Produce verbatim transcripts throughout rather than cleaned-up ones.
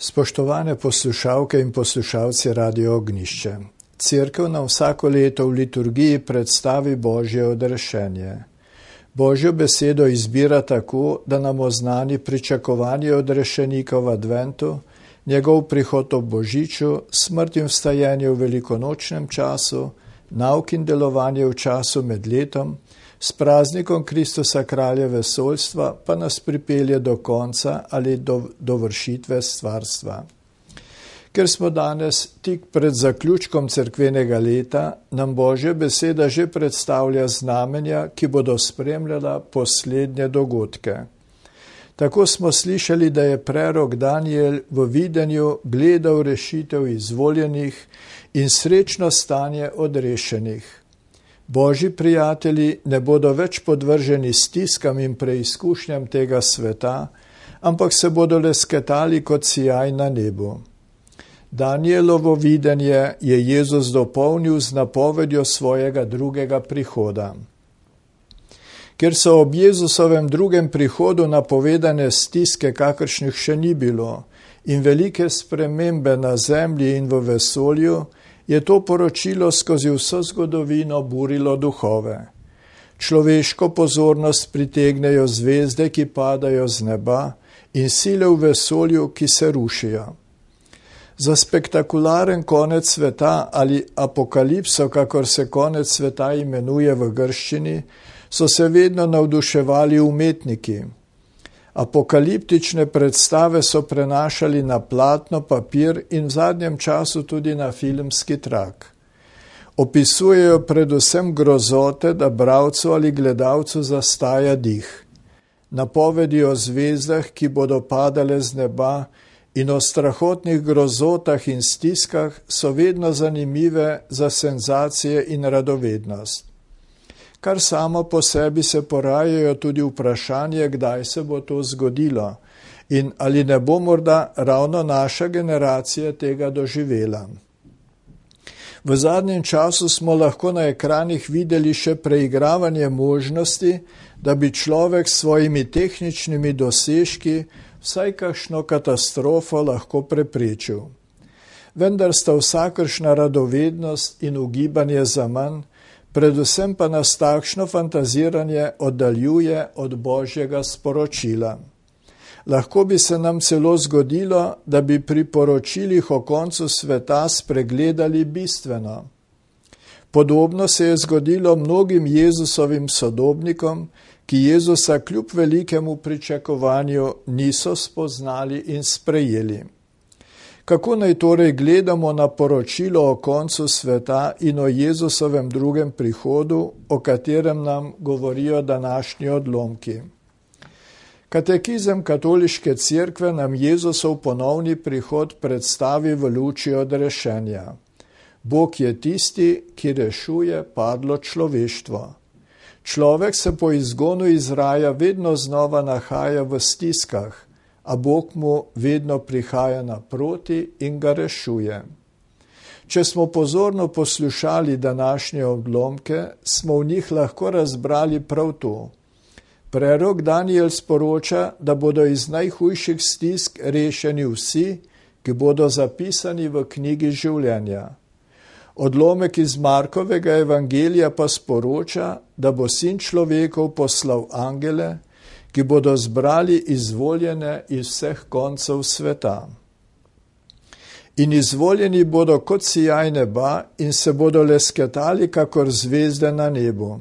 Spoštovane poslušalke in poslušalci Radio Ognjišče. Cerkev nam vsako leto v liturgiji predstavi Božje odrešenje. Božjo besedo izbira tako, da nam oznani pričakovanje odrešenika v adventu, njegov prihod ob Božiču, smrt in vstajenje v velikonočnem času, nauk in delovanje v času med letom, s praznikom Kristusa kralja vesoljstva pa nas pripelje do konca ali do, do vršitve stvarstva. Ker smo danes tik pred zaključkom cerkvenega leta, nam Božja beseda že predstavlja znamenja, ki bodo spremljala poslednje dogodke. Tako smo slišali, da je prerok Danijel v videnju gledal rešitev izvoljenih in srečno stanje odrešenih. Božji prijatelji ne bodo več podvrženi stiskam in preizkušnjam tega sveta, ampak se bodo lesketali kot sijaj na nebu. Danijelovo videnje je Jezus dopolnil z napovedjo svojega drugega prihoda. Ker so ob Jezusovem drugem prihodu napovedane stiske, kakršnih še ni bilo, in velike spremembe na zemlji in v vesolju, je to poročilo skozi vso zgodovino burilo duhove. Človeško pozornost pritegnejo zvezde, ki padajo z neba, in sile v vesolju, ki se rušijo. Za spektakularen konec sveta ali apokalipso, kakor se konec sveta imenuje v grščini, so se vedno navduševali umetniki. Apokaliptične predstave so prenašali na platno, papir in v zadnjem času tudi na filmski trak. Opisujejo predvsem grozote, da bralcu ali gledalcu zastaja dih. Napovedi o zvezdah, ki bodo padale z neba, in o strahotnih grozotah in stiskah so vedno zanimive za senzacije in radovednost. Kar samo po sebi se porajajo tudi vprašanje, kdaj se bo to zgodilo in ali ne bo morda ravno naša generacija tega doživela. V zadnjem času smo lahko na ekranih videli še preigravanje možnosti, da bi človek s svojimi tehničnimi dosežki vsaj kakšno katastrofo lahko preprečil. Vendar sta vsakršna radovednost in ugibanje zaman, predvsem pa nas takšno fantaziranje oddaljuje od Božjega sporočila. Lahko bi se nam celo zgodilo, da bi pri poročilih o koncu sveta spregledali bistveno. Podobno se je zgodilo mnogim Jezusovim sodobnikom, ki Jezusa kljub velikemu pričakovanju niso spoznali in sprejeli. Kako naj torej gledamo na poročilo o koncu sveta in o Jezusovem drugem prihodu, o katerem nam govorijo današnji odlomki? Katekizem katoliške cerkve nam Jezusov ponovni prihod predstavi v luči odrešenja. Bog je tisti, ki rešuje padlo človeštvo. Človek se po izgonu iz raja vedno znova nahaja v stiskah, a Bog mu vedno prihaja naproti in ga rešuje. Če smo pozorno poslušali današnje odlomke, smo v njih lahko razbrali prav to. Prerok Danijel sporoča, da bodo iz najhujših stisk rešeni vsi, ki bodo zapisani v knjigi življenja. Odlomek iz Markovega evangelija pa sporoča, da bo Sin človekov poslal angele, ki bodo zbrali izvoljene iz vseh koncev sveta. In izvoljeni bodo kot sijaj neba in se bodo lesketali kakor zvezde na nebu.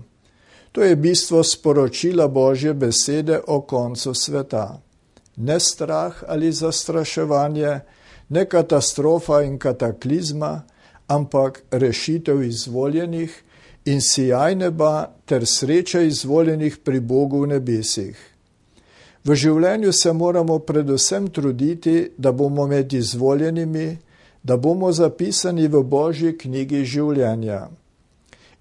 To je bistvo sporočila Božje besede o koncu sveta. Ne strah ali zastraševanje, ne katastrofa in kataklizma, ampak rešitev izvoljenih in sijaj neba ter sreča izvoljenih pri Bogu v nebesih. V življenju se moramo predvsem truditi, da bomo med izvoljenimi, da bomo zapisani v Božji knjigi življenja.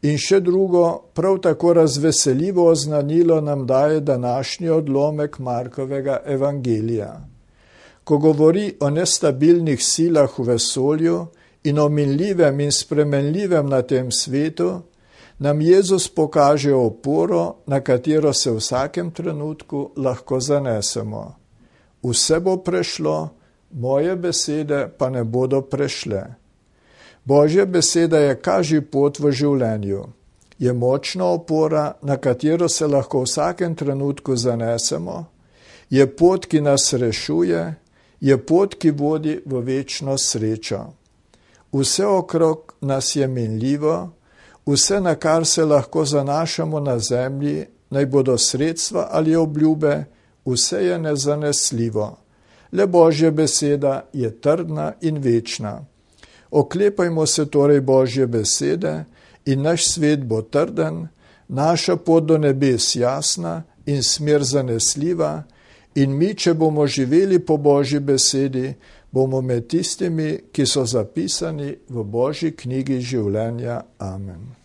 In še drugo, prav tako razveseljivo oznanilo nam daje današnji odlomek Markovega evangelija. Ko govori o nestabilnih silah v vesolju in o minljivem in spremenljivem na tem svetu, nam Jezus pokaže oporo, na katero se v vsakem trenutku lahko zanesemo. Vse bo prešlo, moje besede pa ne bodo prešle. Božja beseda je kaži pot v življenju. Je močna opora, na katero se lahko v vsakem trenutku zanesemo, je pot, ki nas rešuje, je pot, ki vodi v večno srečo. Vse okrog nas je minljivo, vse, na kar se lahko zanašamo na zemlji, naj bodo sredstva ali obljube, vse je nezanesljivo. Le Božja beseda je trdna in večna. Oklepajmo se torej Božje besede in naš svet bo trden, naša pot do nebes jasna in smer zanesljiva, in mi, če bomo živeli po Božji besedi, bomo med tistimi, ki so zapisani v Božji knjigi življenja. Amen.